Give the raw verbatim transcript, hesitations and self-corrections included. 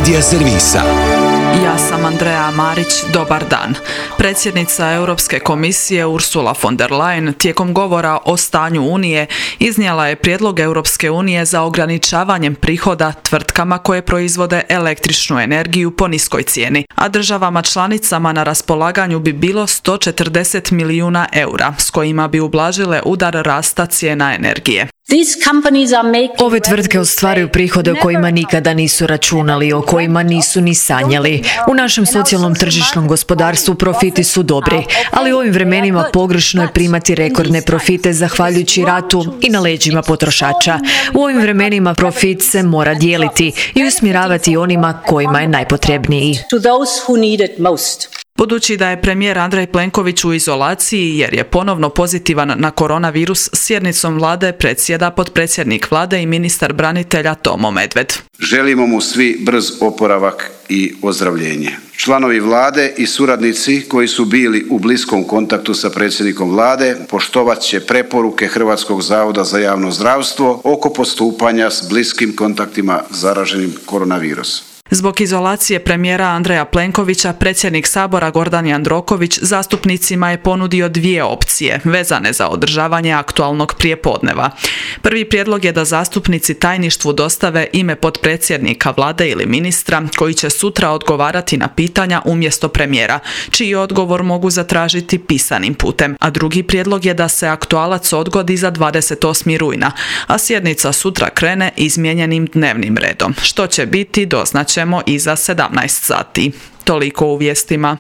medija servisa. Ja sam Andrea Marić, dobar dan. Predsjednica Europske komisije Ursula von der Leyen tijekom govora o stanju Unije iznijela je prijedlog Europske unije za ograničavanjem prihoda tvrtkama koje proizvode električnu energiju po niskoj cijeni, a državama članicama na raspolaganju bi bilo sto četrdeset milijuna eura s kojima bi ublažile udar rasta cijena energije. Ove tvrtke ostvaruju prihode o kojima nikada nisu računali, o kojima nisu ni sanjali. U našem socijalnom tržišnom gospodarstvu profiti su dobri, ali u ovim vremenima pogrešno je primati rekordne profite zahvaljujući ratu i na leđima potrošača. U ovim vremenima profit se mora dijeliti i usmjeravati onima kojima je najpotrebniji. Budući da je premijer Andrej Plenković u izolaciji jer je ponovno pozitivan na koronavirus, sjednicom vlade predsjeda potpredsjednik vlade i ministar branitelja Tomo Medved. Želimo mu svi brz oporavak i ozdravljenje. Članovi vlade i suradnici koji su bili u bliskom kontaktu sa predsjednikom vlade poštovat će preporuke Hrvatskog zavoda za javno zdravstvo oko postupanja s bliskim kontaktima zaraženim koronavirusom. Zbog izolacije premijera Andreja Plenkovića, predsjednik Sabora Gordan Jandroković zastupnicima je ponudio dvije opcije vezane za održavanje aktualnog prijepodneva. Prvi prijedlog je da zastupnici tajništvu dostave ime potpredsjednika vlade ili ministra koji će sutra odgovarati na pitanja umjesto premijera, čiji odgovor mogu zatražiti pisanim putem. A drugi prijedlog je da se aktualac odgodi za dvadeset osmog rujna, a sjednica sutra krene izmijenjenim dnevnim redom. Što će biti doznaćemo iza sedamnaest sati. Toliko u vijestima.